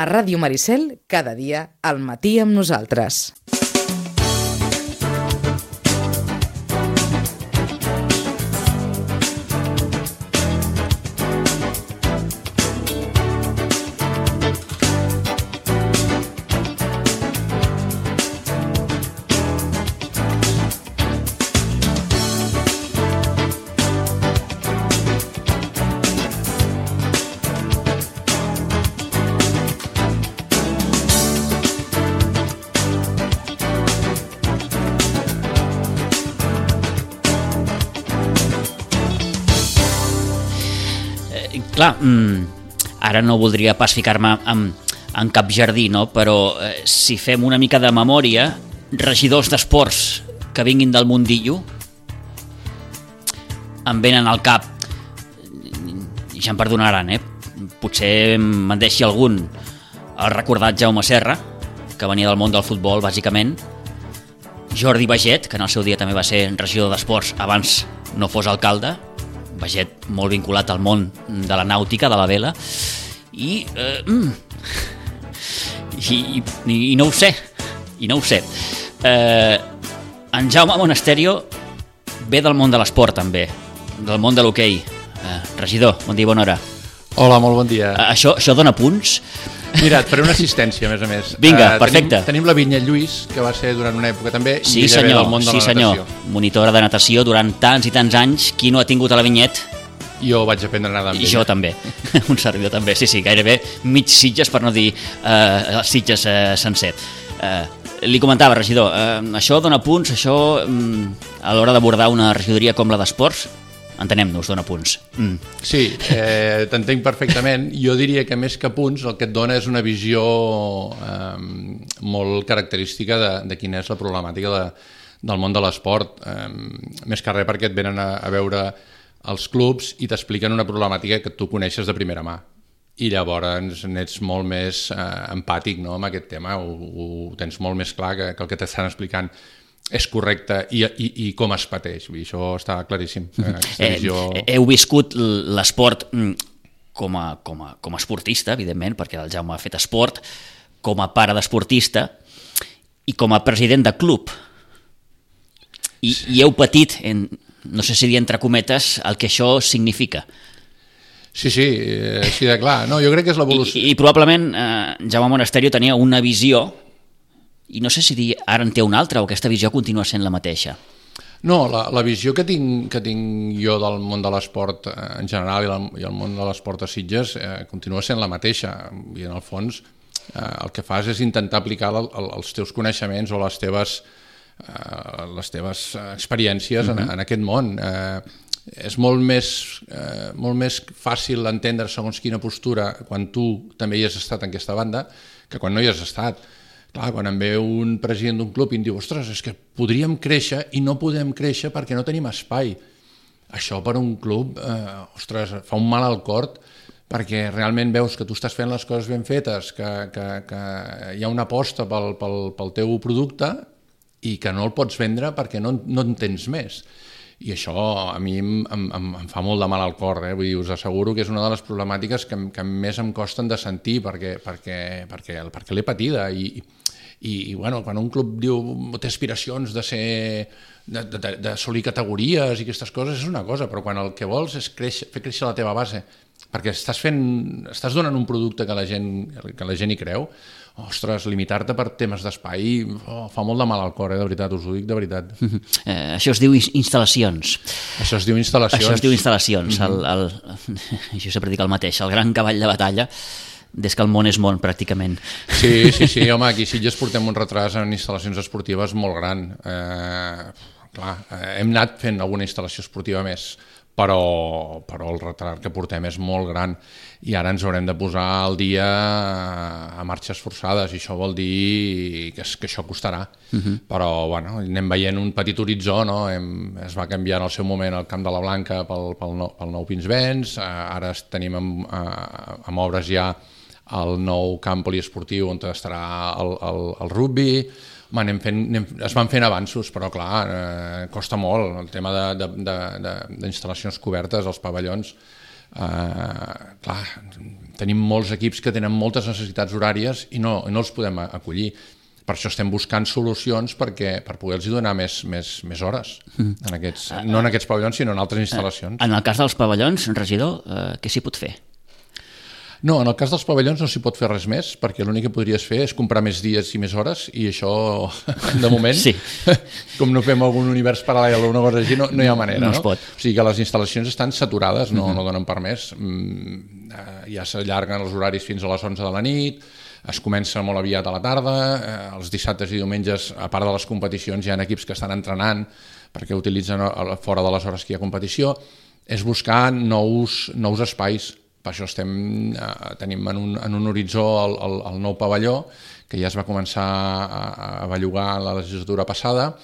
A Ràdio Maricel, cada dia, al matí amb nosaltres. Clar, ara no voldria pas ficar-me en cap jardí, no? Però si fem una mica de memòria, regidors d'esports que vinguin del mundillo, em venen al cap, ja em perdonaran, potser me'n deixi algun, el recordat Jaume Serra, que venia del món del futbol, bàsicament, Jordi Baget, que en el seu dia també va ser regidor d'esports abans no fos alcalde, Baget molt vinculat al món de la nàutica, de la vela, i no ho sé, en Jaume Monasterio ve del món de l'esport també, del món de l'hoquei. Regidor, bon dia, bona hora. Hola, molt bon dia. Això dona punts? Mira, et faré una assistència, a més a més. Vinga, perfecte. Tenim la Vinyet Lluís, que va ser durant una època també, sí, i ella ve del món de la natació. Monitora de natació durant tants i tants anys. Qui no ha tingut a la Vinyet? Jo vaig aprendre a nedar amb ella. Jo també, un servidor també, sí, gairebé mig Sitges, per no dir Sitges sencer. Li comentava, regidor, això dona punts, això a l'hora d'abordar una regidoria com la d'esports, entenem-nos, dona punts. Sí, t'entenc perfectament. Jo diria que més que punts el que et dona és una visió molt característica de quina és la problemàtica del món de l'esport. Més que res perquè et venen a veure els clubs i t'expliquen una problemàtica que tu coneixes de primera mà. I llavors n'ets molt més empàtic, no, amb aquest tema, ho tens molt més clar que el que t'estan explicant és correcte i com es pateix. Vull dir, això està claríssim. Heu viscut l'esport com a esportista, evidentment, perquè el Jaume ha fet esport, com a pare d'esportista i com a president de club. I heu patit, no sé si dir entre cometes, el que això significa. Sí, així de clar. No, jo crec que és l'evolució. I probablement Jaume Monasterio tenia una visió, i no sé si dir ara en té una altra o aquesta visió continua sent la mateixa. No, la visió que tinc jo del món de l'esport en general i el món de l'esport a Sitges continua sent la mateixa. I en el fons el que fas és intentar aplicar els teus coneixements o les teves experiències en aquest món. És molt més fàcil entendre segons quina postura quan tu també hi has estat en aquesta banda que quan no hi has estat. Clar, quan em ve un president d'un club i em diu ostres, és que podríem créixer i no podem créixer perquè no tenim espai. Això per un club, ostres, fa un mal al cor perquè realment veus que tu estàs fent les coses ben fetes, que hi ha una aposta pel teu producte i que no el pots vendre perquè no en tens més. I això a mi em fa molt de mal al cor, vull dir, us asseguro que és una de les problemàtiques que més em costen de sentir perquè l'he patida i bueno, quan un club diu té aspiracions d'assolir categories i aquestes coses és una cosa, però quan el que vols és fer créixer la teva base perquè estàs donant un producte que la gent hi creu, ostres, limitar-te per temes d'espai fa molt de mal al cor, de veritat, us ho dic de veritat. Això es diu instal·lacions. Això es diu instal·lacions. Jo sempre dic el mateix, el gran cavall de batalla des que el món és món, pràcticament. Sí, home, aquí a Sitges portem un retras en instal·lacions esportives molt gran. Clar, hem anat fent alguna instal·lació esportiva més, però el retard que portem és molt gran i ara ens haurem de posar al dia a marxes forçades i això vol dir que això costarà. Però bueno, anem veient un petit horitzó, no? Es va canviar en el seu moment el Camp de la Blanca pel nou Pinsbens, ara tenim amb obres ja el nou camp poliesportiu on estarà el rugby. Es van fent avanços, però clar, costa molt el tema d'instal·lacions cobertes, els pavellons. Clar, tenim molts equips que tenen moltes necessitats horàries i no els podem acollir. Per això estem buscant solucions per poder-los donar més hores, no en aquests pavellons, sinó en altres instal·lacions. En el cas dels pavellons, regidor, què s'hi pot fer? No, en el cas dels pavellons no s'hi pot fer res més, perquè l'únic que podries fer és comprar més dies i més hores, i això, de moment, sí. Com no fem algun univers paral·lel o una cosa així, no hi ha manera. No es pot. O sigui que les instal·lacions estan saturades, no donen per més. Ja s'allarguen els horaris fins a les 11 de la nit, es comença molt aviat a la tarda, els dissabtes i diumenges, a part de les competicions, hi ha equips que estan entrenant perquè utilitzen fora de les hores que hi ha competició. És buscar nous espais. Per això tenim en un horitzó el nou pavelló, que ja es va començar a bellugar la legislatura passada,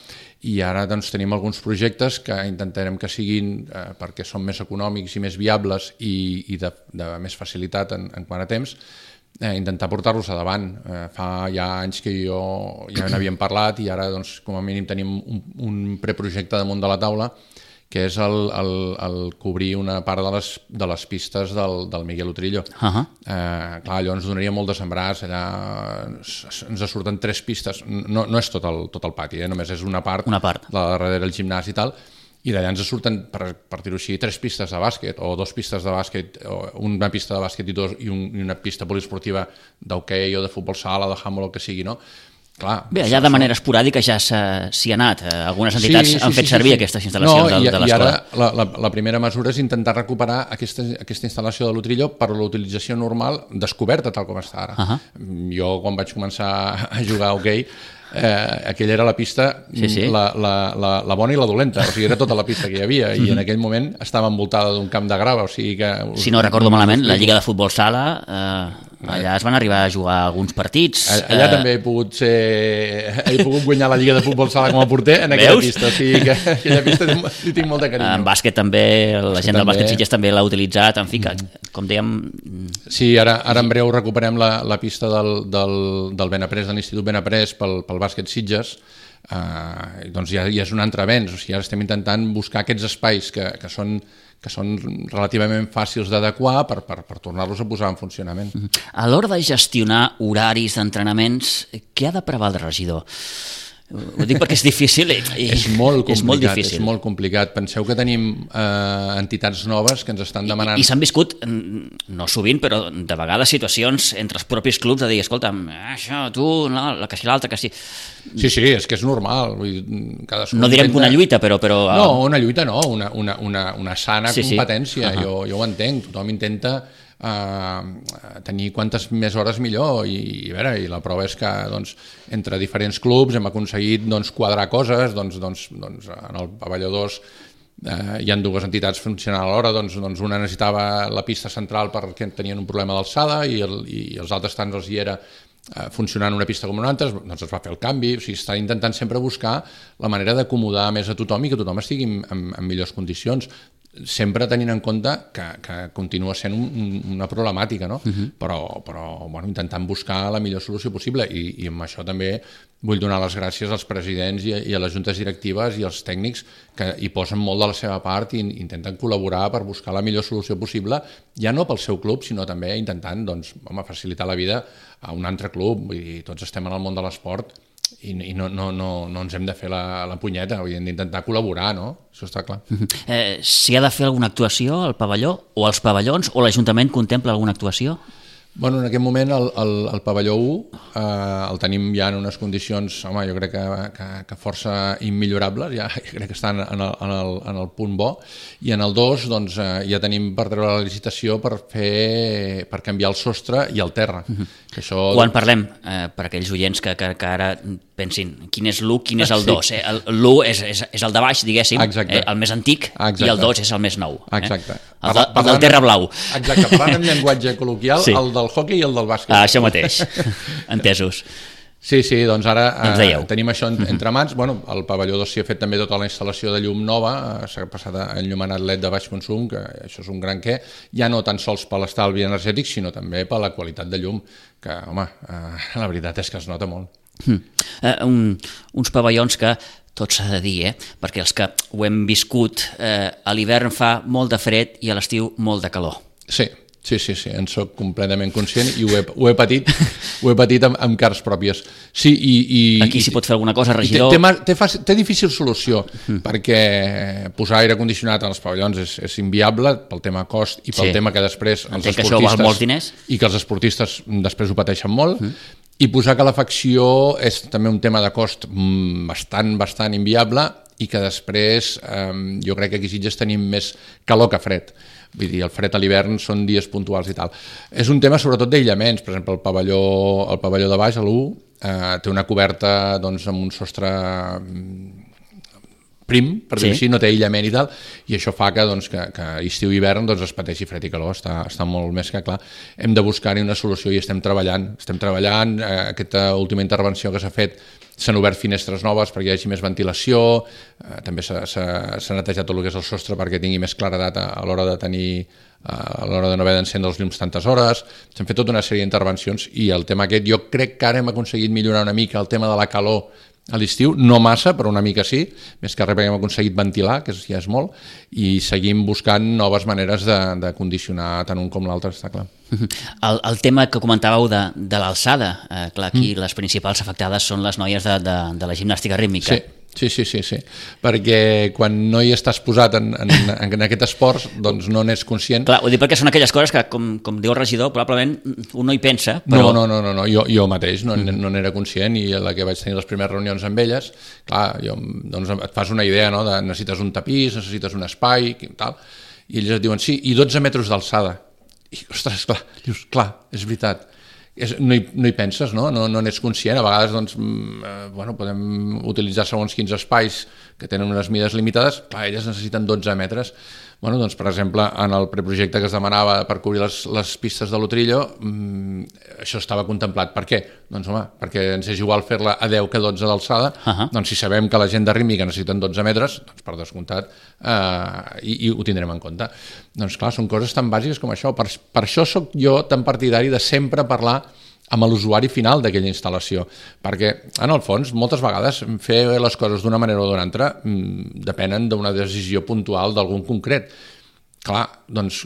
i ara doncs, tenim alguns projectes que intentarem que siguin, perquè són més econòmics i més viables i de més facilitat en quant a temps, intentar portar-los endavant. Fa ja anys que ja n'havíem parlat i ara doncs, com a mínim tenim un preprojecte damunt de la taula, que és el cobrir una part de les pistes del Miguel Utrillo. Clar, allò ens donaria molt de sembrars, allà ens surten 3 pistes, no és tot el pati, només és una part, de darrere el gimnàs i tal, i d'allà ens surten, per dir-ho així, 3 pistes de bàsquet, o 2 pistes de bàsquet, o una pista de bàsquet i una pista poliesportiva d'hoquei o de futbol sala, de handball, el que sigui, no? Clar, bé, allà de manera esporàdica ja s'hi ha anat. Algunes entitats han fet servir aquestes instal·lacions de l'escola. I ara la primera mesura és intentar recuperar aquesta instal·lació de l'Utrillo per l'utilització normal descoberta tal com està ara. Jo, quan vaig començar a jugar a hoquei, aquella era la pista, la bona i la dolenta, o sigui, era tota la pista que hi havia, i en aquell moment estava envoltada d'un camp de grava, o sigui que... Si no recordo malament, la Lliga de Futbol Sala, allà es van arribar a jugar alguns partits. Allà també he pogut guanyar la Lliga de Futbol Sala com a porter en aquella pista, o sigui que aquella pista li tinc molt de carinyo. En bàsquet també, la gent del bàsquet Sitges també l'ha utilitzat, en fi, com dèiem... Sí, ara en breu recuperem la pista del Benaprés, de l'Institut Benaprés pel bàsquet Sitges, doncs ja és un altre avenç, o sigui, ara estem intentant buscar aquests espais que són relativament fàcils d'adequar per tornar-los a posar en funcionament. A l'hora de gestionar horaris d'entrenaments, què ha de prevaldre, regidor? Ho dic perquè és difícil. És molt complicat. Penseu que tenim entitats noves que ens estan demanant... I s'han viscut, no sovint, però de vegades situacions entre els propis clubs de dir, escolta'm, això, tu, que si l'altre, que sí... Sí, és que és normal. No direm que una lluita, però... No, una lluita no, una sana competència. Jo ho entenc, tothom intenta tenir quantes més hores millor i la prova és que entre diferents clubs hem aconseguit quadrar coses, en el pavelló 2 hi ha 2 entitats funcionant alhora, una necessitava la pista central perquè tenien un problema d'alçada i els altres tants els hi era funcionant una pista com una altra, doncs es va fer el canvi, o sigui, està intentant sempre buscar la manera d'acomodar més a tothom i que tothom estigui en millors condicions, sempre tenint en compte que continua sent una problemàtica, no? Però intentant buscar la millor solució possible i amb això també vull donar les gràcies als presidents i a les juntes directives i als tècnics que hi posen molt de la seva part i intenten col·laborar per buscar la millor solució possible, ja no pel seu club, sinó també intentant facilitar la vida a un altre club. Vull dir, tots estem en el món de l'esport i no ens hem de fer la punyeta, hem d'intentar col·laborar, no? Això està clar. S'hi ha de fer alguna actuació al pavelló o als pavellons o l'Ajuntament contempla alguna actuació? Bueno, en aquest moment el pavelló 1 el tenim ja en unes condicions, home, jo crec que força immillorables, ja crec que estan en el punt bo, i en el 2 doncs, ja tenim per treure la licitació per canviar el sostre i el terra. Que això... Quan parlem, per aquells oients que ara pensin, quin és l'1, quin és el 2? L'1 és el de baix, diguéssim, el més antic, i el 2 és el més nou. Exacte. El del terra blau. Exacte, parlant en llenguatge col·loquial, el del hoquei i el del bàsquet. Això mateix, entesos. Sí, doncs ara tenim això entre mans. Bueno, el pavelló 2 s'hi ha fet també tota la instal·lació de llum nova, s'ha passat a enllumenat LED de baix consum, que això és un gran què, ja no tan sols per l'estalvi energètic, sinó també per la qualitat de llum, que, home, la veritat és que es nota molt. Uns pavellons que tot s'ha de dir, perquè els que ho hem viscut, a l'hivern fa molt de fred i a l'estiu molt de calor. Sí, en soc completament conscient i ho he patit amb cars pròpies. Sí, aquí s'hi pot fer alguna cosa, regidor? Té difícil solució, perquè posar aire condicionat als pavellons és inviable pel tema cost i pel tema que després els esportistes... que això val molts diners. I que els esportistes després ho pateixen molt. I posar calefacció és també un tema de cost bastant inviable i que després jo crec que aquí a Sitges tenim més calor que fred. Vull dir, el fred a l'hivern són dies puntuals i tal. És un tema sobretot d'aïllaments. Per exemple, el pavelló de baix, l'1, té una coberta doncs, amb un sostre prim, per dir-ho així, no té aïllament i tal, i això fa que estiu i hivern es pateixi fred i calor, està molt més que clar. Hem de buscar-hi una solució i estem treballant. Aquesta última intervenció que s'ha fet, s'han obert finestres noves perquè hi hagi més ventilació, també s'ha netejat tot el que és el sostre perquè tingui més claredat a l'hora de no haver d'encendre els llums tantes hores. S'han fet tota una sèrie d'intervencions i el tema aquest, jo crec que ara hem aconseguit millorar una mica el tema de la calor a l'estiu, no massa, però una mica sí, més que res perquè hem aconseguit ventilar, que ja és molt, i seguim buscant noves maneres de condicionar tant un com l'altre, està clar. El tema que comentàveu de l'alçada, clar, aquí les principals afectades són les noies de la gimnàstica rítmica. Sí, perquè quan no hi estàs posat en aquest esport, doncs no n'és conscient. Clar, ho dic perquè són aquelles coses que, com diu el regidor, probablement un no hi pensa, però... No, jo mateix no n'era conscient i a la que vaig tenir les primeres reunions amb elles, clar, doncs et fas una idea, no?, de necessites un tapís, necessites un espai, i tal, i ells et diuen, sí, i 12 metres d'alçada. I, ostres, clar, dius, clar, és veritat. No hi penses, no n'és conscient. A vegades doncs, podem utilitzar segons quins espais que tenen unes mides limitades, clar, elles necessiten 12 metres. Doncs, per exemple, en el preprojecte que es demanava per cobrir les pistes de l'Utrillo, això estava contemplat. Per què? Doncs, home, perquè ens és igual fer-la a 10 que 12 d'alçada, doncs si sabem que la gent de rítmica necessiten 12 metres, doncs per descomptat, i ho tindrem en compte. Doncs clar, són coses tan bàsiques com això. Per això sóc jo tan partidari de sempre parlar amb l'usuari final d'aquella instal·lació, perquè, en el fons, moltes vegades fer les coses d'una manera o d'una altra depenen d'una decisió puntual d'algun concret. Clar, doncs,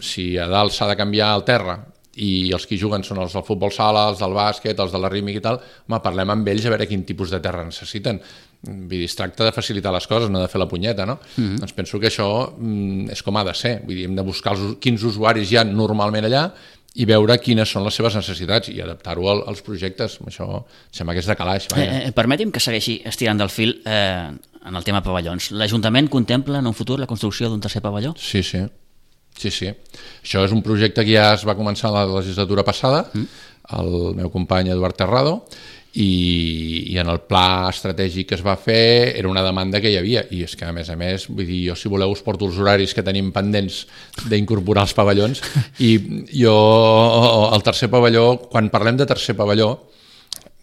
si a dalt s'ha de canviar el terra i els que hi juguen són els del futbol sala, els del bàsquet, els de la rítmica i tal, home, parlem amb ells a veure quin tipus de terra necessiten. Vull dir, es tracta de facilitar les coses, no de fer la punyeta, no? Doncs penso que això és com ha de ser. Vull dir, hem de buscar quins usuaris hi ha normalment allà i veure quines són les seves necessitats i adaptar-ho als projectes. Això sembla que és de calaix. Permeti'm que segueixi estirant del fil en el tema pavellons. L'Ajuntament contempla en un futur la construcció d'un tercer pavelló? Sí. Això és un projecte que ja es va començar la legislatura passada, el meu company Eduard Terrado, i en el pla estratègic que es va fer era una demanda que hi havia, i és que a més, vull dir, jo si voleu us porto els horaris que tenim pendents d'incorporar els pavellons, i jo el tercer pavelló, quan parlem de tercer pavelló,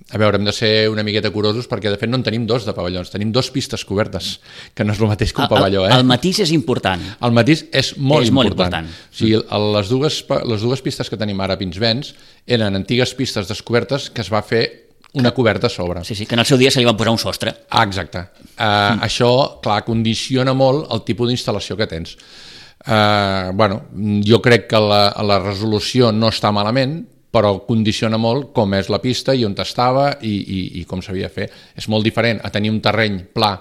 a veure, hem de ser una miqueta curosos perquè de fet no en tenim 2 de pavellons, tenim 2 pistes cobertes, que no és el mateix que un pavelló. El matís és important. El matís és molt important. O sigui, les dues pistes que tenim ara a Pinsbens eren antigues pistes descobertes que es va fer una coberta a sobre. Sí, que en el seu dia se li van posar un sostre. Exacte. Això, clar, condiciona molt el tipus d'instal·lació que tens. Jo crec que la resolució no està malament, però condiciona molt com és la pista i on estava i com s'havia de fer. És molt diferent a tenir un terreny pla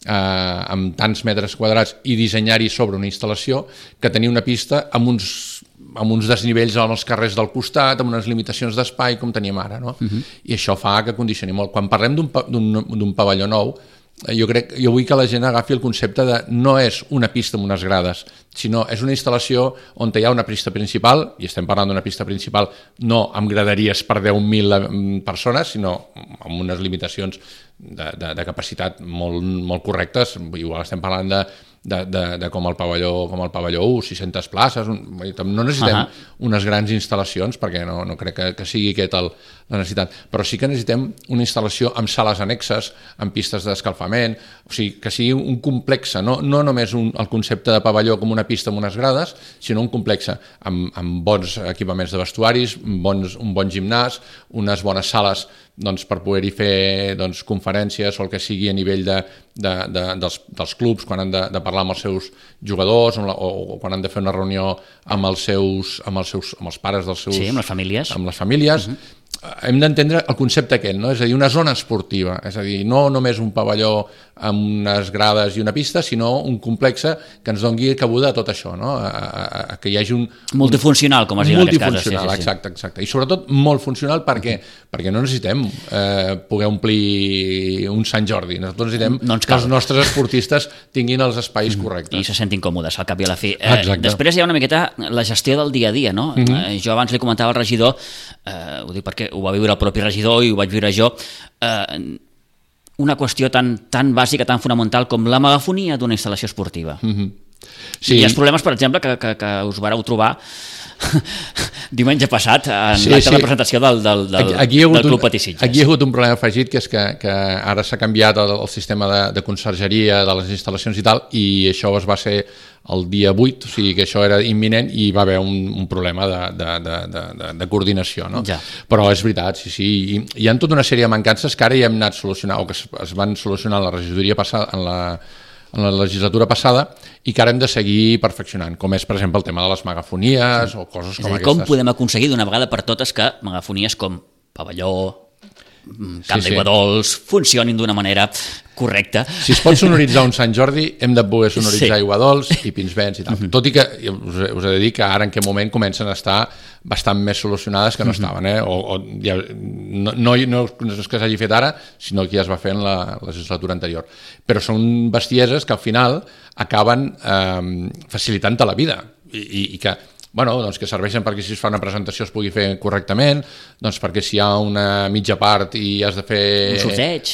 amb tants metres quadrats i dissenyar-hi sobre una instal·lació que tenir una pista amb uns desnivells als carrers del costat, amb unes limitacions d'espai com teníem ara, no? I això fa que condicioni molt. Quan parlem d'un pavelló nou, jo vull que la gent agafi el concepte de no és una pista amb unes grades, sinó és una instal·lació on hi ha una pista principal, i estem parlant d'una pista principal no amb graderies per 10.000 persones, sinó amb unes limitacions de capacitat molt correctes. Igual estem parlant de com el pavelló 1, 600 places, no necessitem unes grans instal·lacions perquè no crec que sigui aquest la necessitat, però sí que necessitem una instal·lació amb sales annexes, amb pistes d'escalfament, o sigui, que sigui un complex, no només el concepte de pavelló com una pista amb unes grades, sinó un complex amb bons equipaments de vestuaris, un bon gimnàs, unes bones sales doncs, per poder-hi fer doncs, conferències o el que sigui a nivell dels clubs quan han de parlar amb els seus jugadors o quan han de fer una reunió amb els pares dels seus... Sí, amb les famílies. Amb les famílies. Hem d'entendre el concepte aquest, no? És a dir, una zona esportiva, és a dir, no només un pavelló amb unes grades i una pista, sinó un complex que ens doni cabuda a tot això, no? Que hi hagi un... Multifuncional, com es diu en aquest cas. Multifuncional, exacte. I sobretot molt funcional perquè no necessitem poder omplir un Sant Jordi, nosaltres necessitem que els nostres esportistes tinguin els espais correctes. I se sentin còmodes, al cap i a la fi. Després hi ha una miqueta la gestió del dia a dia, no? Jo abans li comentava al regidor, ho dic perquè ho va viure el propi regidor i ho vaig viure jo, una qüestió tan bàsica, tan fonamental com la megafonia d'una instal·lació esportiva. Sí. I els problemes, per exemple, que us vareu trobar diumenge passat en l'acte de presentació del Club Patí Sitges. Aquí hi ha hagut un problema afegit, que és que ara s'ha canviat el sistema de consergeria de les instal·lacions i tal, i això va ser el dia 8, o sigui que això era imminent i hi va haver un problema de coordinació, no? Ja. Però és veritat, sí, hi ha tota una sèrie de mancances que ara ja hem anat solucionant, o que es van solucionar en la regidoria passada, en la legislatura passada, i que ara hem de seguir perfeccionant, com és, per exemple, el tema de les megafonies o coses com aquestes. Com podem aconseguir d'una vegada per totes que megafonies com pavelló, camp d'aigua dolç, funcionin d'una manera correcta? Si es pot sonoritzar un Sant Jordi, hem de poder sonoritzar aigua dolç i Pinsbens i tal. Tot i que us he de dir que ara en aquest moment comencen a estar bastant més solucionades que no estaven, no és que s'hagi fet ara, sinó que ja es va fer en la legislatura anterior. Però són bestieses que al final acaben facilitant-te la vida i que doncs que serveixen perquè si es fa una presentació es pugui fer correctament, doncs perquè si hi ha una mitja part i has de fer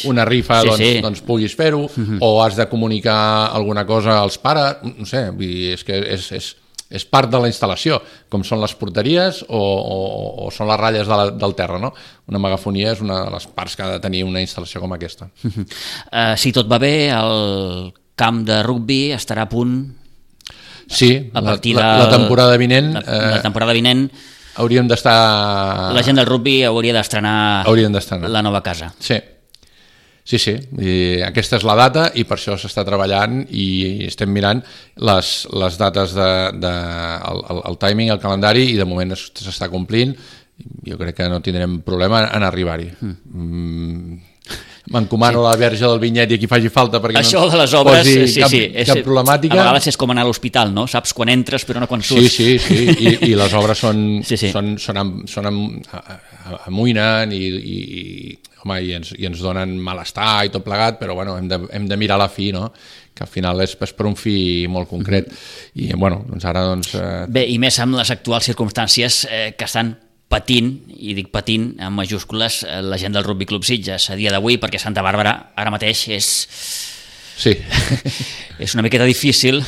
una rifa, doncs puguis fer-ho, o has de comunicar alguna cosa als pares, no sé, és que és part de la instal·lació, com són les porteries o són les ratlles del terra, no? Una megafonia és una de les parts que ha de tenir una instal·lació com aquesta. Si tot va bé, el camp de rugbi estarà a punt. Sí, la temporada vinent... La temporada vinent... Hauríem d'estar... La gent del rugbi hauria d'estrenar la nova casa. Sí. I aquesta és la data i per això s'està treballant i estem mirant les dates el timing, el calendari, i de moment s'està complint. Jo crec que no tindrem problema en arribar-hi. M'encomano la verge del vinyet i aquí faci falta perquè això no de les obres, cap problemàtica. A vegades és com anar a l'hospital, no? Saps quan entres però no quan surts. Sí, i les obres amoïnen i ens donen malestar i tot plegat, però bueno, hem de mirar la fi, no? Que al final és per un fi molt concret. I bueno, doncs ara... Bé, i més amb les actuals circumstàncies que estan patint, i dic patint en majúscules, la gent del Rugby Club Sitges a dia d'avui, perquè Santa Bàrbara ara mateix és una miqueta difícil.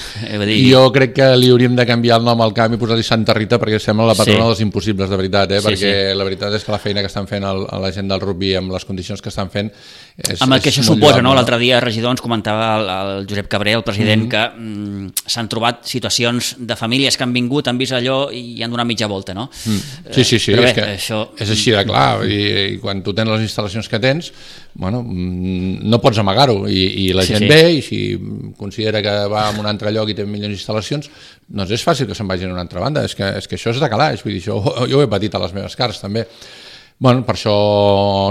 Jo crec que li hauríem de canviar el nom al camp i posar-li Santa Rita, perquè sembla la patrona dels impossibles, de veritat, perquè la veritat és que la feina que estan fent la gent del rugby amb les condicions que estan fent amb el que això suposa, no? L'altre dia, regidor, ens comentava el Josep Cabré, el president, que s'han trobat situacions de famílies que han vingut, han vist allò i han donat mitja volta, no? Sí, és així de clar, i quan tu tens les instal·lacions que tens, no pots amagar-ho, i la gent ve, i si considera que va a un altre lloc i té millors instal·lacions, doncs és fàcil que se'n vagin a una altra banda. És que això és de calaix, vull dir, jo ho he patit a les meves cares també. Per això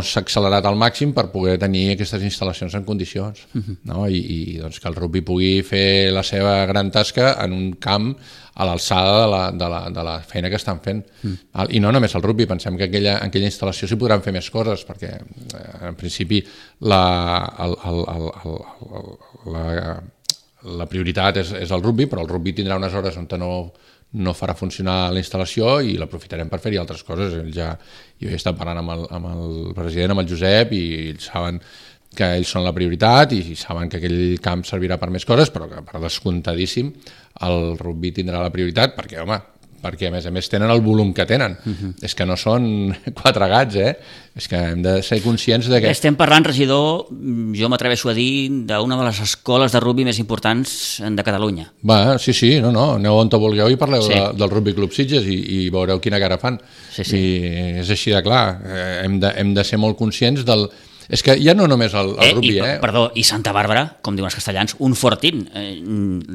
s'ha accelerat al màxim per poder tenir aquestes instal·lacions en condicions, no? I doncs que el rugby pugui fer la seva gran tasca en un camp a l'alçada de la feina que estan fent. I no només el rugby, pensem que en aquella instal·lació s'hi podran fer més coses, perquè en principi la prioritat és el rugby, però el rugby tindrà unes hores on no farà funcionar la instal·lació i l'aprofitarem per fer-hi altres coses. Jo he estat parlant amb el president, amb el Josep, i ells saben que ells són la prioritat i saben que aquell camp servirà per més coses, però que per descomptadíssim el rugby tindrà la prioritat perquè, home, perquè a més tenen el volum que tenen. És que no són 4 gats, és que hem de ser conscients de que... Estem parlant, regidor, jo m'atreveixo a dir, d'una de les escoles de rugby més importants de Catalunya. Va, sí, no, aneu on vulgueu i parleu del Rugby Club Sitges i veureu quina cara fan. Sí. I és així de clar, hem de ser molt conscients del... És que ja no només el rugby, Perdó, i Santa Bàrbara, com diuen els castellans, un fortín.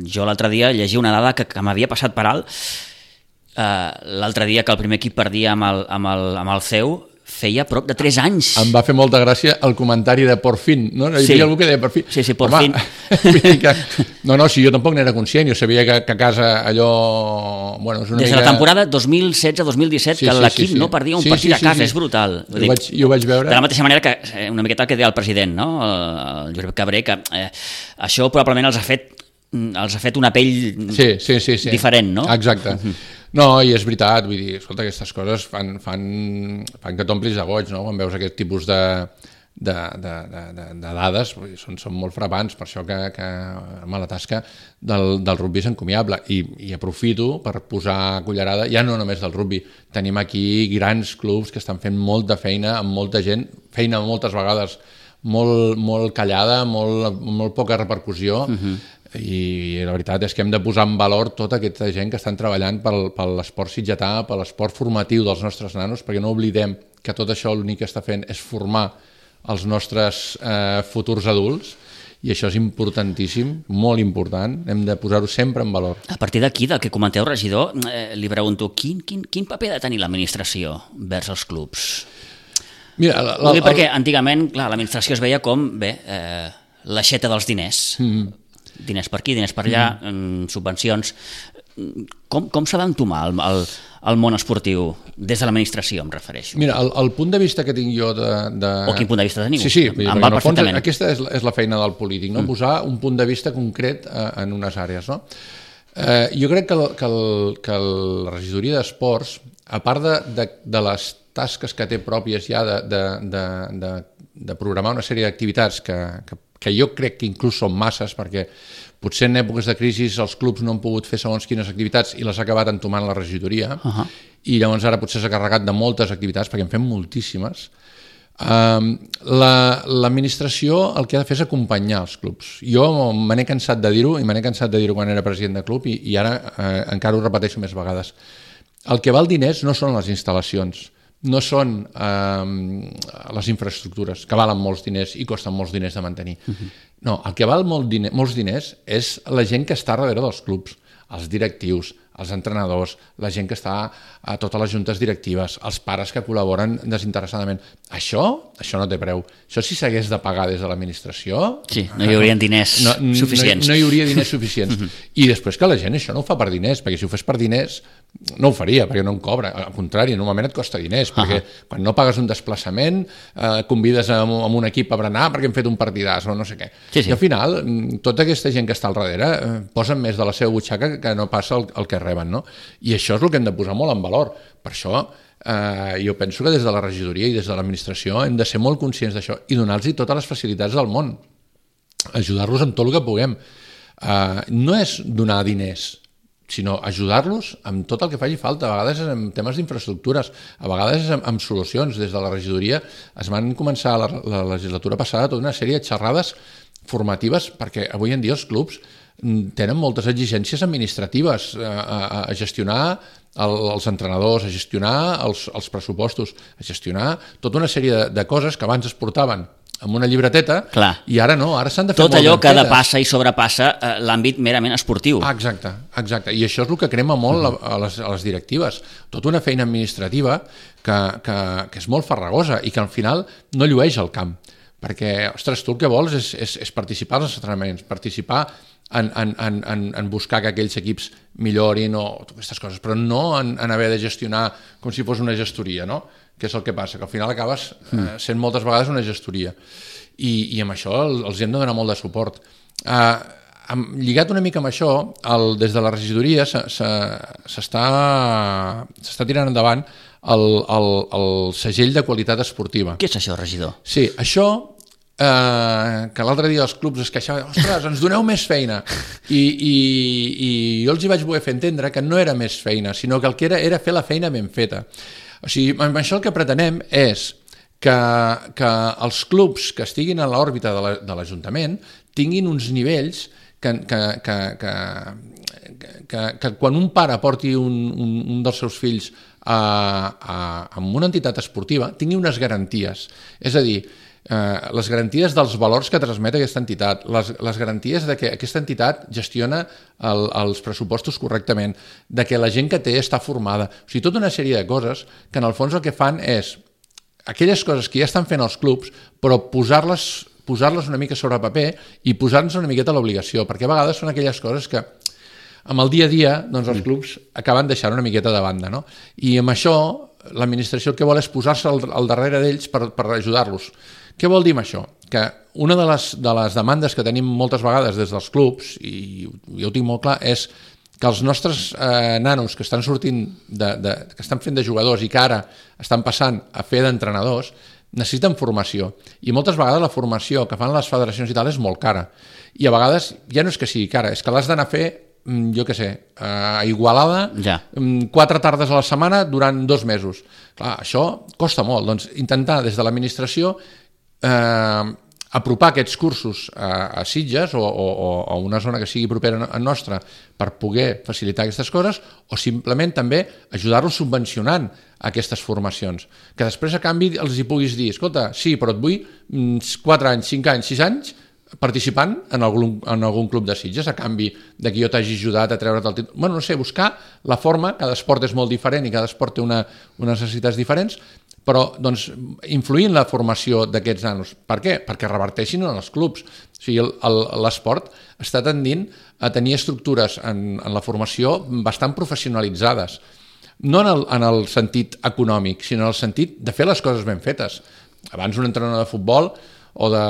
Jo l'altre dia llegia una dada que m'havia passat per alt. L'altre dia que el primer equip perdia amb el CEU, feia prop de 3 anys. Em va fer molta gràcia el comentari de por fin, no? Hi havia algú que deia por fin. Sí, por fin. No, si jo tampoc n'era conscient, jo sabia que a casa allò... Bueno, és una Des de la temporada 2016-2017 que l'equip no perdia un partit a casa, és brutal. Jo ho vaig veure. De la mateixa manera que una miqueta el que deia el president, no? El Josep Cabré, que això probablement els ha fet una pell diferent, no? Exacte. No, i és veritat, vull dir, escolta, aquestes coses fan que t'omplis de goig, no?, quan veus aquest tipus de dades, són molt frapants, per això que la tasca del rugby és encomiable, i aprofito per posar cullerada, ja no només del rugby, tenim aquí grans clubs que estan fent molta feina amb molta gent, feina moltes vegades molt callada, molt poca repercussió, i la veritat és que hem de posar en valor tota aquesta gent que estan treballant per l'esport sitgetà, per l'esport formatiu dels nostres nanos, perquè no oblidem que tot això l'únic que està fent és formar els nostres futurs adults, i això és importantíssim, molt important, hem de posar-ho sempre en valor. A partir d'aquí, del que comenteu, regidor, li pregunto, quin paper ha de tenir l'administració vers els clubs? Mira, perquè antigament, clar, l'administració es veia com, l'aixeta dels diners. Diners per aquí, diners per allà, subvencions. Com s'ha d'entomar el món esportiu des de l'administració, em refereixo? Mira, el punt de vista que tinc jo O quin punt de vista teniu? Sí, en el fons aquesta és la feina del polític, no? Posar un punt de vista concret en unes àrees, no? Jo crec que la regidoria d'esports, a part de les tasques que té pròpies ja de programar una sèrie d'activitats que jo crec que inclús són masses, perquè potser en èpoques de crisi els clubs no han pogut fer segons quines activitats i les ha acabat entomant la regidoria, i llavors ara potser s'ha carregat de moltes activitats, perquè en fem moltíssimes. L'administració el que ha de fer és acompanyar els clubs. Jo me n'he cansat de dir-ho, i me n'he cansat de dir-ho quan era president de club, i ara encara ho repeteixo més vegades. El que val diners no són les instal·lacions, no són les infraestructures, que valen molts diners i costen molts diners de mantenir. No, el que val molts diners és la gent que està darrere dels clubs, els directius, els entrenadors, la gent que està a totes les juntes directives, els pares que col·laboren desinteressadament. Això no té preu. Això si s'hagués de pagar des de l'administració... Sí, no hi haurien diners suficients. No hi hauria diners suficients. I després que la gent això no ho fa per diners, perquè si ho fes per diners no ho faria, perquè no en cobra. Al contrari, normalment et costa diners, perquè quan no pagues un desplaçament, convides a un equip a berenar perquè hem fet un partidàs o no sé què. I al final, tota aquesta gent que està al darrere posen més de la seva butxaca que no passa el que reben, no? I això és el que hem de posar molt en valor. Per això jo penso que des de la regidoria i des de l'administració hem de ser molt conscients d'això i donar-los totes les facilitats del món, ajudar-los en tot el que puguem. No és donar diners, sinó ajudar-los amb tot el que faci falta. A vegades és en temes d'infraestructures, a vegades és amb solucions. Des de la regidoria es van començar la legislatura passada tota una sèrie de xerrades formatives, perquè avui en dia els clubs tenen moltes exigències administratives a gestionar els entrenadors, a gestionar els pressupostos, a gestionar tota una sèrie de coses que abans es portaven amb una llibreteta. Clar. I ara no, ara s'han de fer tot allò que depassa i sobrepassa l'àmbit merament esportiu. Exacte. I això és el que crema molt a les directives. Tota una feina administrativa que és molt farragosa i que al final no llueix al camp. Perquè, ostres, tu el que vols és participar als entrenaments, participar en buscar que aquells equips millorin o aquestes coses, però no en haver de gestionar com si fos una gestoria, no? Que és el que passa, que al final acabes sent moltes vegades una gestoria. I amb això els hem de donar molt de suport. Lligat una mica amb això, des de la regidoria s'està tirant endavant el segell de qualitat esportiva. Què és això, regidor? Sí, això que l'altre dia els clubs es queixaven, ostres, ens doneu més feina, i jo els hi vaig voler fer entendre que no era més feina, sinó que el que era fer la feina ben feta. O sigui, amb això el que pretenem és que els clubs que estiguin a l'òrbita de l'Ajuntament tinguin uns nivells que quan un pare porti un dels seus fills a una entitat esportiva tingui unes garanties, és a dir, les garanties dels valors que transmet aquesta entitat, les garanties de que aquesta entitat gestiona els pressupostos correctament, de que la gent que té està formada, o sigui, tota una sèrie de coses que en el fons el que fan és aquelles coses que ja estan fent els clubs, però posar-les una mica sobre paper i posar-nos una miqueta l'obligació, perquè a vegades són aquelles coses que amb el dia a dia doncs els clubs acaben deixant una miqueta de banda, no? I amb això l'administració el que vol és posar-se al darrere d'ells per ajudar-los. Què vol dir amb això? Que una de les demandes que tenim moltes vegades des dels clubs, i jo ho tinc molt clar, és que els nostres nanos que estan sortint, que estan fent de jugadors i que ara estan passant a fer d'entrenadors, necessiten formació. I moltes vegades la formació que fan les federacions i tal és molt cara. I a vegades ja no és que sigui cara, és que l'has d'anar a fer, jo què sé, a Igualada, 4 tardes a la setmana durant 2 mesos. Clar, això costa molt. Doncs intentar des de l'administració apropar aquests cursos a Sitges o a una zona que sigui propera a nostra per poder facilitar aquestes coses, o simplement també ajudar-los subvencionant aquestes formacions, que després a canvi els hi puguis dir, escolta, sí, però et vull 4 anys, 5 anys, 6 anys participant en algun club de Sitges a canvi de que jo t'hagi ajudat a treure't el títol. Bueno, no sé, buscar la forma, cada esport és molt diferent i cada esport té unes necessitats diferents, però doncs, influir en la formació d'aquests nanos. Per què? Perquè reverteixin en els clubs. O sigui, l'esport està tendint a tenir estructures en la formació bastant professionalitzades. No en el sentit econòmic, sinó en el sentit de fer les coses ben fetes. Abans un entrenador de futbol o de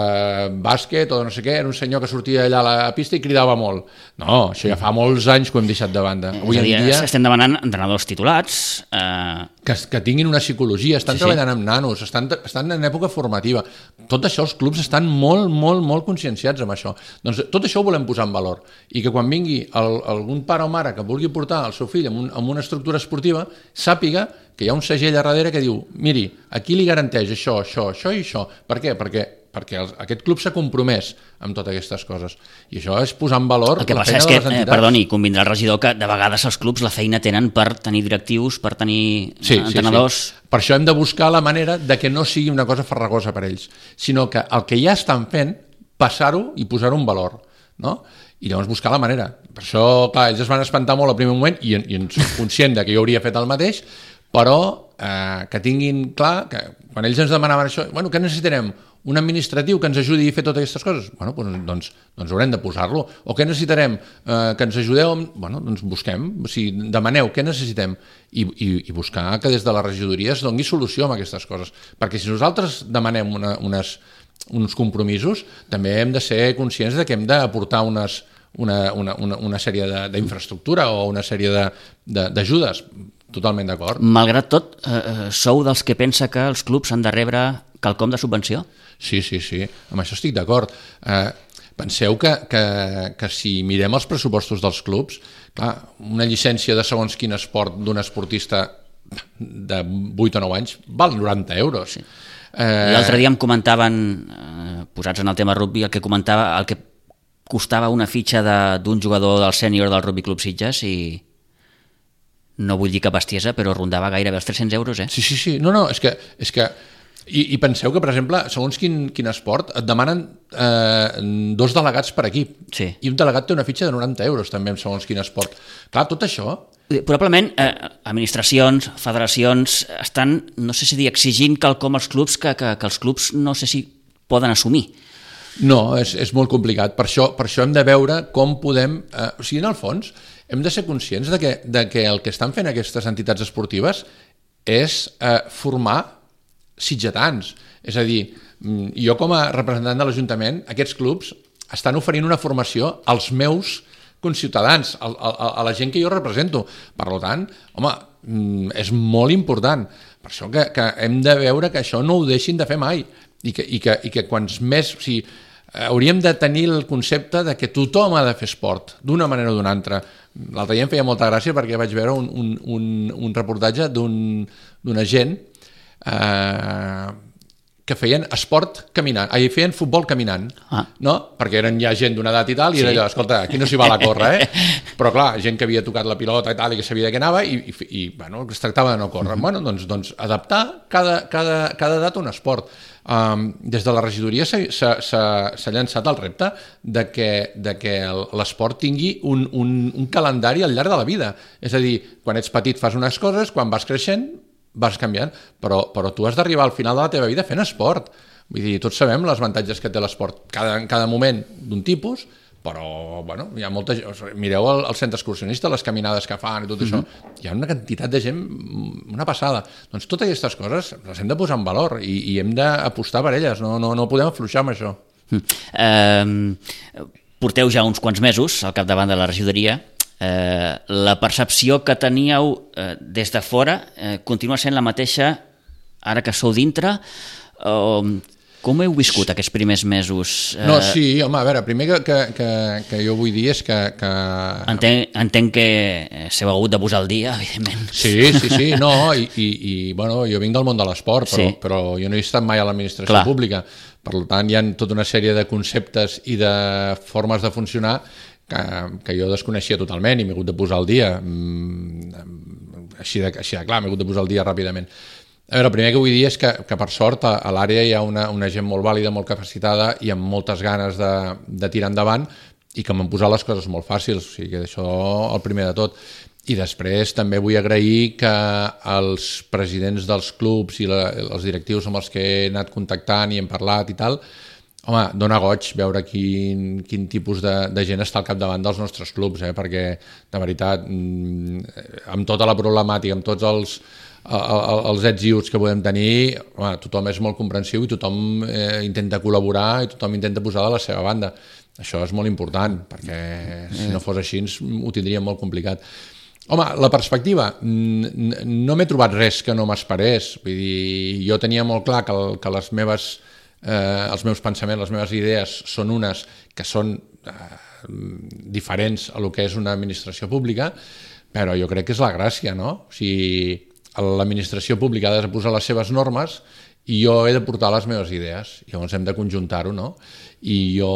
bàsquet o de no sé què, era un senyor que sortia allà a la pista i cridava molt. No, això ja fa molts anys que ho hem deixat de banda. Avui en dia estem demanant entrenadors titulats que tinguin una psicologia, estan treballant amb nanos, estan en època formativa. Tot això els clubs estan molt, molt, molt conscienciats amb això. Doncs tot això ho volem posar en valor i que quan vingui algun pare o mare que vulgui portar el seu fill en una estructura esportiva sàpiga que hi ha un segell a darrere que diu, miri, aquí li garanteix això, això, això i això. Per què? Perquè aquest club s'ha compromès amb totes aquestes coses. I això és posar en valor la feina de les entitats. El que passa és que, perdoni, convindrà el regidor que de vegades els clubs la feina tenen per tenir directius, per tenir entrenadors... Sí. Per això hem de buscar la manera de que no sigui una cosa farragosa per ells, sinó que el que ja estan fent, passar-ho i posar-ho en valor, no? I llavors buscar la manera. Per això, clar, ells es van espantar molt al primer moment i en soc conscient que jo hauria fet el mateix, però que tinguin clar que quan ells ens demanaven això, bueno, què necessitarem? Un administratiu que ens ajudi a fer totes aquestes coses? Bueno, doncs haurem de posar-lo. O què necessitarem? Que ens ajudeu? Bueno, doncs busquem, o sigui, demaneu què necessitem i buscar que des de la regidoria es doni solució a aquestes coses. Perquè si nosaltres demanem uns compromisos, també hem de ser conscients de que hem d'aportar una sèrie d'infraestructura o una sèrie d'ajudes. Totalment d'acord. Malgrat tot, sou dels que pensa que els clubs han de rebre quelcom de subvenció? Sí, amb això estic d'acord. Penseu que si mirem els pressupostos dels clubs, clar, una llicència de segons quin esport d'un esportista de 8 o 9 anys val 90 euros. Sí. L'altre dia em comentaven, posats en el tema rugby, el que costava una fitxa d'un jugador del sènior del Rugby Club Sitges i no vull dir que bestiesa, però rondava gairebé els 300 euros, eh? Sí. No, és que i penseu que, per exemple, segons quin esport, et demanen 2 delegats per equip. Sí. I un delegat té una fitxa de 90 euros, també, segons quin esport. Clar, tot això... Probablement, administracions, federacions, estan, no sé si dir, exigint quelcom als clubs que els clubs no sé si poden assumir. No, és molt complicat. Per això hem de veure com podem... O sigui, en el fons, hem de ser conscients de que el que estan fent aquestes entitats esportives és formar sitgetans. És a dir, jo com a representant de l'Ajuntament, aquests clubs estan oferint una formació als meus conciutadans, a la gent que jo represento. Per tant, home, és molt important. Per això que hem de veure que això no ho deixin de fer mai. i que quants més... O sigui, hauríem de tenir el concepte de que tothom ha de fer esport, d'una manera o d'una altra. L'altre dia em feia molta gràcia perquè vaig veure un reportatge d'un agent que feien esport caminant, feien futbol caminant, no? Perquè eren ja gent d'una edat i tal, i era allò, escolta, aquí no s'hi val a córrer, però clar, gent que havia tocat la pilota i tal, i que sabia de què anava, i bueno, es tractava de no córrer. Bueno, doncs adaptar cada edat a un esport. Des de la regidoria s'ha llançat el repte de que l'esport tingui un calendari al llarg de la vida. És a dir, quan ets petit fas unes coses, quan vas creixent vas canviant, però tu has d'arribar al final de la teva vida fent esport. Vull dir, tots sabem els avantatges que té l'esport en cada moment d'un tipus, però bueno, hi ha molta gent, mireu el centre excursionista, les caminades que fan i tot això, hi ha una quantitat de gent, una passada. Doncs totes aquestes coses les hem de posar en valor i hem d'apostar per elles, no podem afluixar amb això. Porteu ja uns quants mesos al capdavant de la regidoria. La percepció que teníeu des de fora continua sent la mateixa ara que sou dintre? Com heu viscut aquests primers mesos? No, sí, home, a veure, primer que jo vull dir és que... Entenc que s'heu hagut de posar al dia, evidentment. Sí, no, i bueno, jo vinc del món de l'esport, però jo no he estat mai a l'administració pública, per tant hi ha tota una sèrie de conceptes i de formes de funcionar que jo desconeixia totalment i m'he hagut de posar al dia, així de clar, m'he hagut de posar al dia ràpidament. A veure, el primer que vull dir és que per sort a l'àrea hi ha una gent molt vàlida, molt capacitada i amb moltes ganes de tirar endavant i que m'han posat les coses molt fàcils, o sigui que això el primer de tot. I després també vull agrair que els presidents dels clubs i els directius amb els que he anat contactant i hem parlat i tal, home, dona goig veure quin tipus de gent està al capdavant dels nostres clubs, perquè de veritat, amb tota la problemàtica, amb tots els ets i uts que podem tenir, tothom és molt comprensiu i tothom intenta col·laborar i tothom intenta posar de la seva banda. Això és molt important, perquè si no fos així ho tindríem molt complicat. Home, la perspectiva, no m'he trobat res que no m'esperés. Vull dir, jo tenia molt clar que els meus pensaments, les meves idees són unes que són diferents a lo que és una administració pública, però jo crec que és la gràcia, no? O sigui, l'administració pública ha de posar les seves normes i jo he de portar les meves idees, llavors hem de conjuntar-ho, no? I jo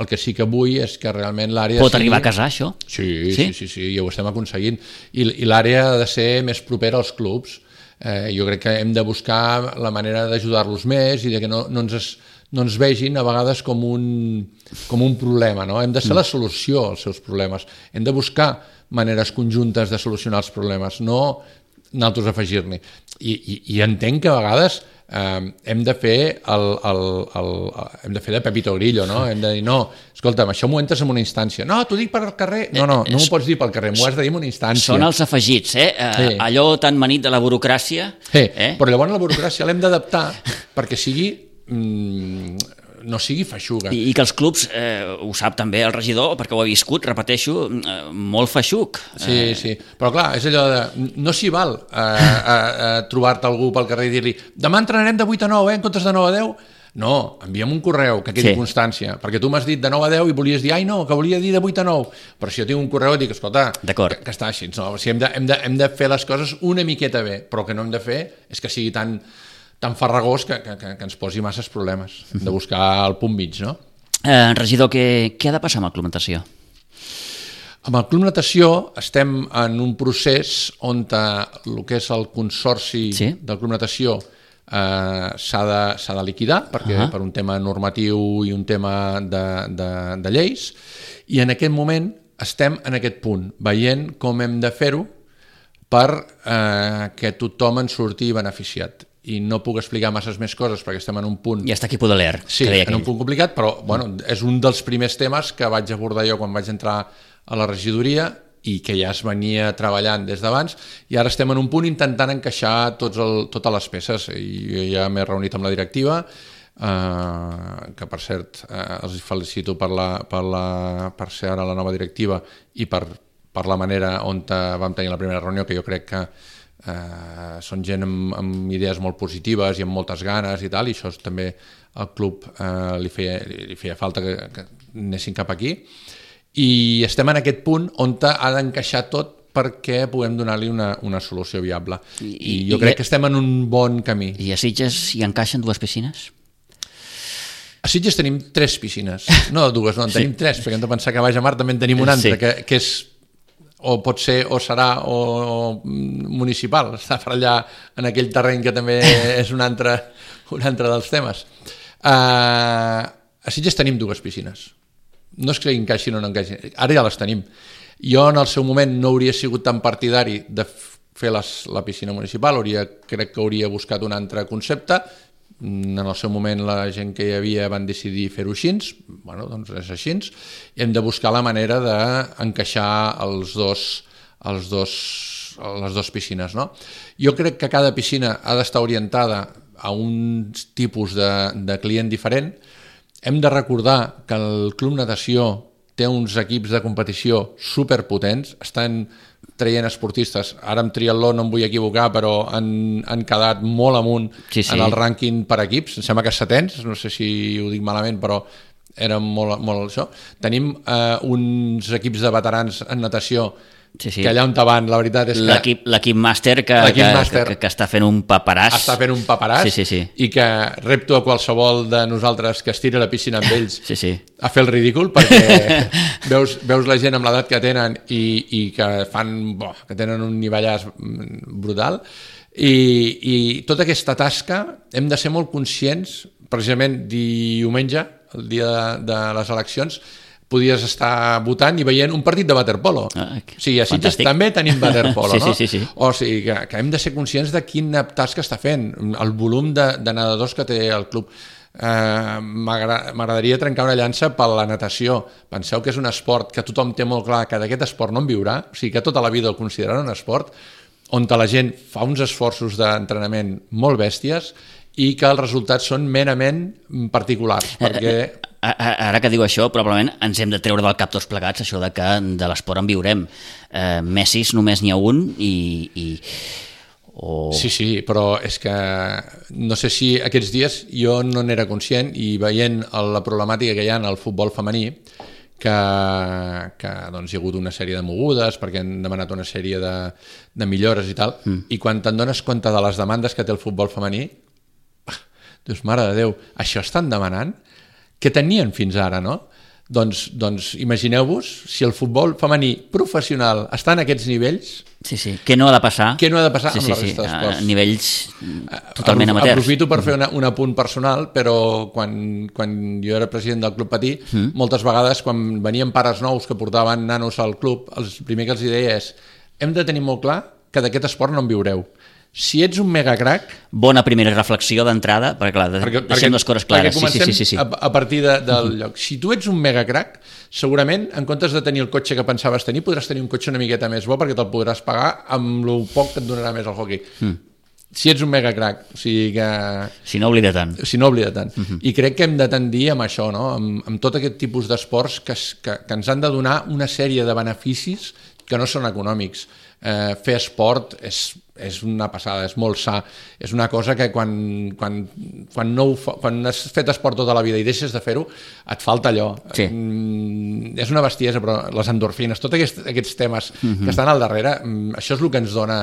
el que sí que vull és que realment l'àrea... Pot arribar a casar, això? Sí, i ho estem aconseguint. I l'àrea ha de ser més propera als clubs. Jo crec que hem de buscar la manera d'ajudar-los més i de que no ens vegin a vegades com un problema, no? Hem de ser la solució als seus problemes. Hem de buscar maneres conjuntes de solucionar els problemes, no nosaltres afegir-n'hi. I entenc que a vegades hem de fer de Pepito Grillo, no? Hem de dir, no, escolta'm, això m'ho entres en una instància. No, t'ho dic pel carrer. No m'ho pots dir pel carrer, m'ho has de dir en una instància. Són els afegits, allò tan manit de la burocràcia. Però llavors la burocràcia l'hem d'adaptar perquè sigui... no sigui feixuga. I que els clubs, ho sap també el regidor, perquè ho ha viscut, repeteixo, molt feixuc. Sí, però clar, és allò de... No s'hi val trobar-te algú pel carrer i dir-li demà entrenarem de 8 a 9, en comptes de 9 a 10? No, envia'm un correu que quedi constància, perquè tu m'has dit de 9 a 10 i volies dir, no, que volia dir de 8 a 9, però si jo tinc un correu et dic, escolta, que està així, no? O sigui, hem de fer les coses una miqueta bé, però el que no hem de fer és que sigui tan farragós que ens posi masses problemes. Hem de buscar el punt mig, no? Regidor, què ha de passar amb el Club Natació? Amb el Club Natació estem en un procés on el que és el consorci del Club Natació s'ha de liquidar, perquè per un tema normatiu i un tema de lleis, i en aquest moment estem en aquest punt, veient com hem de fer-ho per que tothom en surti beneficiat. I no puc explicar masses més coses perquè estem en un punt... Ja està aquí Podaler. Sí, en un punt complicat, però és un dels primers temes que vaig abordar jo quan vaig entrar a la regidoria i que ja es venia treballant des d'abans, i ara estem en un punt intentant encaixar totes les peces. I ja m'he reunit amb la directiva, que per cert els felicito per ser ara la nova directiva i per la manera on vam tenir la primera reunió, que jo crec que Són gent amb idees molt positives i amb moltes ganes i tal, i això també al club li feia falta que anessin cap aquí. I estem en aquest punt on ha d'encaixar tot perquè puguem donar-li una solució viable. I jo crec que estem en un bon camí. I a Sitges hi encaixen 2 piscines? A Sitges tenim 3 piscines, no 2, no, en tenim 3, perquè hem de pensar que a Baix de Mar també en tenim una altra, que és, o pot ser, o serà, o municipal, està per allà en aquell terreny que també és un altre dels temes. A Sitges tenim 2 piscines. No és que encaixin o no encaixin, ara ja les tenim. Jo en el seu moment no hauria sigut tan partidari de fer la piscina municipal, crec que hauria buscat un altre concepte. En el seu moment la gent que hi havia van decidir fer-ho així, bueno, doncs és així, i hem de buscar la manera d'encaixar les dues piscines, no? Jo crec que cada piscina ha d'estar orientada a un tipus de client diferent. Hem de recordar que el Club Natació té uns equips de competició superpotents, estan traient esportistes, ara amb triatló no em vull equivocar, però han quedat molt amunt en el rànquing per equips, em sembla que 7ens, no sé si ho dic malament, però era molt això. Tenim uns equips de veterans en natació que allà on van, la veritat és que... L'equip màster que està fent un paperàs. Està fent un paperàs i que repto a qualsevol de nosaltres que es tira a la piscina amb ells a fer el ridícul, perquè veus la gent amb l'edat que tenen i que que tenen un nivellàs brutal, i tota aquesta tasca hem de ser molt conscients. Precisament diumenge, el dia de les eleccions, podies estar votant i veient un partit de waterpolo. O sigui, a Sitges també tenim waterpolo, no? Sí. O sigui, que hem de ser conscients de quina tasca està fent, el volum de nedadors que té el club. M'agradaria trencar una llança per la natació. Penseu que és un esport que tothom té molt clar que d'aquest esport no en viurà, o sigui, que tota la vida el consideraran un esport, on la gent fa uns esforços d'entrenament molt bèsties i que els resultats són merament particulars, perquè... Ara que diu això, probablement ens hem de treure del cap tots plegats això de que de l'esport en viurem. Messis només n'hi ha un i... Sí, però és que no sé si aquests dies jo no n'era conscient, i veient la problemàtica que hi ha en el futbol femení, que doncs, hi ha hagut una sèrie de mogudes perquè han demanat una sèrie de millores i tal, i quan te'n dones compte de les demandes que té el futbol femení, dius, mare de Déu, això estan demanant? Què tenien fins ara, no? Doncs imagineu-vos si el futbol femení professional està en aquests nivells... Sí. Què no ha de passar? Què no ha de passar amb la resta d'esports? A nivells totalment amateurs. Aprofito per fer un apunt personal, però quan jo era president del Club Patí, moltes vegades quan venien pares nous que portaven nanos al club, el primer que els deia és: hem de tenir molt clar que d'aquest esport no en viureu. Si ets un megacrac... Bona primera reflexió d'entrada, perquè clar, deixem les coses clares. Perquè comencem a partir del lloc. Si tu ets un megacrac, segurament, en comptes de tenir el cotxe que pensaves tenir, podràs tenir un cotxe una miqueta més bo perquè te'l podràs pagar amb el poc que et donarà més el hockey. Si ets un megacrac, o sigui que... Si no oblida tant. I crec que hem de tendir amb això, no? Amb tot aquest tipus d'esports que ens han de donar una sèrie de beneficis que no són econòmics. Fer esport és una passada, és molt sa, és una cosa que quan has fet esport tota la vida i deixes de fer-ho, et falta allò. És una bestiesa, però les endorfines, tots aquests temes que estan al darrere, això és el que ens dona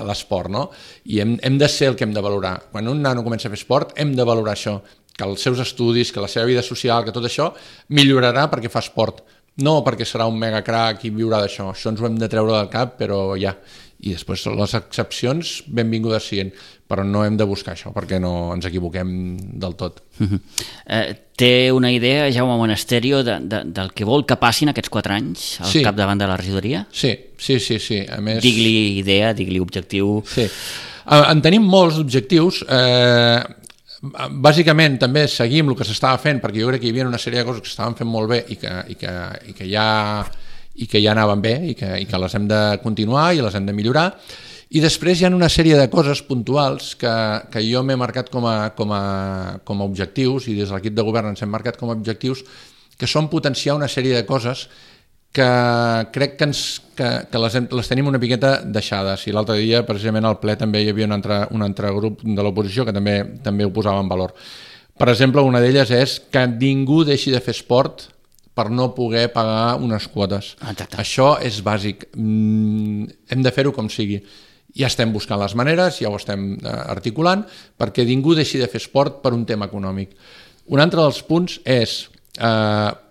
l'esport, no? I hem de ser el que hem de valorar. Quan un nano comença a fer esport, hem de valorar això, que els seus estudis, que la seva vida social, que tot això millorarà perquè fa esport. No perquè serà un megacrac i viurà d'això. Això ens ho hem de treure del cap, però ja. I després les excepcions benvingudes siguin, però no hem de buscar això perquè no ens equivoquem del tot. Té una idea, Jaume Monasterio, del que vol que passin aquests 4 anys al capdavant de la regidoria? Sí. A més... Digue-li idea, digue-li objectiu... Sí. En tenim molts objectius. Bàsicament també seguim el que s'estava fent, perquè jo crec que hi havia una sèrie de coses que s'estaven fent molt bé i que ja anaven bé i que les hem de continuar i les hem de millorar. I després hi ha una sèrie de coses puntuals que jo m'he marcat com a objectius, i des de l'equip de govern ens hem marcat com a objectius, que són potenciar una sèrie de coses que crec que les tenim una miqueta deixades, i l'altre dia precisament al ple també hi havia un altre grup de l'oposició que també ho posava en valor. Per exemple, una d'elles és que ningú deixi de fer esport per no poder pagar unes quotes. Exacte. Això és bàsic. Hem de fer-ho com sigui. Ja estem buscant les maneres, ja ho estem articulant, perquè ningú deixi de fer esport per un tema econòmic. Un altre dels punts és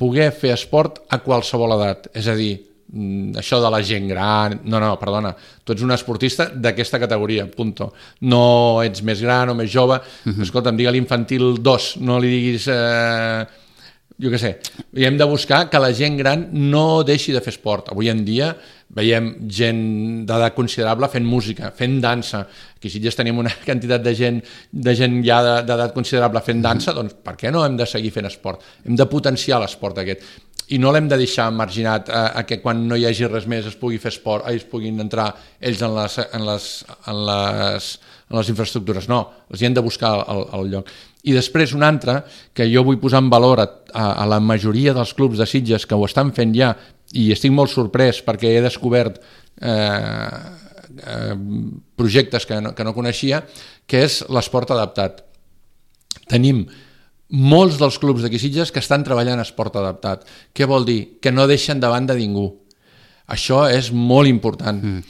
poder fer esport a qualsevol edat, és a dir, això de la gent gran, perdona, tu ets un esportista d'aquesta categoria, punto. No ets més gran o més jove, escolta'm, digue-li infantil 2, no li diguis... jo què sé, i hem de buscar que la gent gran no deixi de fer esport. Avui en dia veiem gent d'edat considerable fent música, fent dansa. Aquí si ja tenim una quantitat de gent ja d'edat considerable fent dansa, doncs per què no hem de seguir fent esport? Hem de potenciar l'esport aquest. I no l'hem de deixar marginat a que quan no hi hagi res més es pugui fer esport, es puguin entrar ells en les infraestructures. No, els hi hem de buscar el lloc. I després un altre, que jo vull posar en valor a la majoria dels clubs de Sitges que ho estan fent ja, i estic molt sorprès perquè he descobert projectes que no coneixia, que és l'esport adaptat. Tenim molts dels clubs d'aquí Sitges que estan treballant en esport adaptat. Què vol dir? Que no deixen de banda ningú. Això és molt important.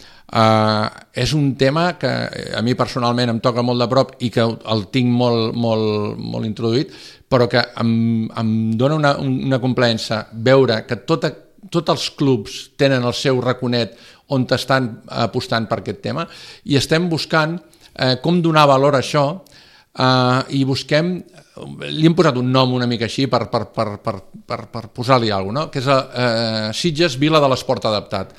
És un tema que a mi personalment em toca molt de prop i que el tinc molt introduït, però que em dona una complaença veure que tots els clubs tenen el seu raconet on estan apostant per aquest tema, i estem buscant com donar valor a això, i busquem, li hem posat un nom una mica així per posar-li alguna cosa, que és Sitges Vila de l'Esport Adaptat.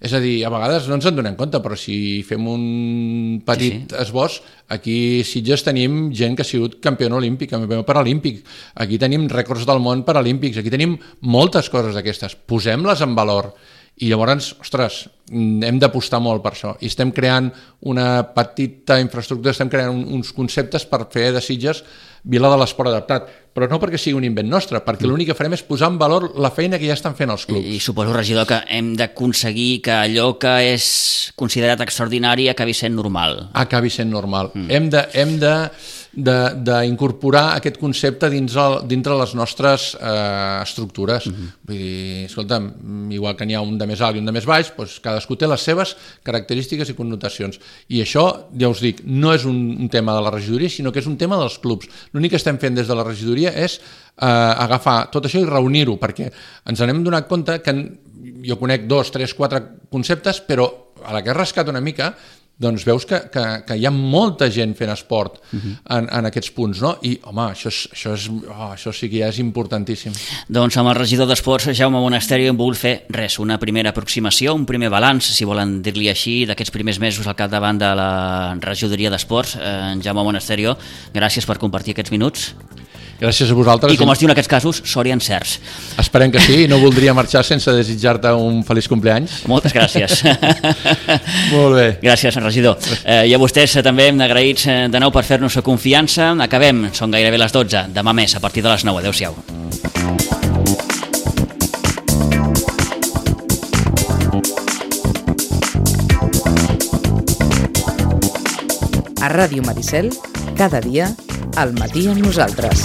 És a dir, a vegades no ens en donem compte, però si fem un petit esbós, aquí a Sitges tenim gent que ha sigut campió olímpic, campió paralímpic, aquí tenim rècords del món paralímpics, aquí tenim moltes coses d'aquestes, posem-les en valor. I llavors, ostres, hem d'apostar molt per això. I estem creant una petita infraestructura, estem creant uns conceptes per fer de Sitges Vila de l'Esport Adaptat. Però no perquè sigui un invent nostre, perquè l'únic que farem és posar en valor la feina que ja estan fent els clubs. I suposo, regidor, que hem d'aconseguir que allò que és considerat extraordinari acabi sent normal. Acabi sent normal. Hem d'incorporar aquest concepte dintre les nostres estructures. Vull dir, escolta'm, igual que n'hi ha un de més alt i un de més baix, doncs cadascú té les seves característiques i connotacions. I això, ja us dic, no és un tema de la regidoria, sinó que és un tema dels clubs. L'únic que estem fent des de la regidoria és agafar tot això i reunir-ho, perquè ens n'hem donat compte que jo conec 2, 3, 4 conceptes, però a la que he rascat una mica, doncs veus que hi ha molta gent fent esport en aquests punts, no? I, home, això sí que ja és importantíssim. Doncs amb el regidor d'Esports, Jaume Monasterio, hem volgut fer una primera aproximació, un primer balanç, si volen dir-li així, d'aquests primers mesos al capdavant de la regidoria d'Esports. Jaume Monasterio, gràcies per compartir aquests minuts. Gràcies a vosaltres. I com es diu en aquests casos, sort i encerts. Esperem que sí, no voldria marxar sense desitjar-te un feliç cumpleaños. Moltes gràcies. Molt bé. Gràcies, regidor. I a vostès també hem agraïts de nou per fer-nos confiança. Acabem, són gairebé les 12. Demà més, a partir de les 9. Adéu-siau. A Ràdio Maricel, cada dia, al matí amb nosaltres.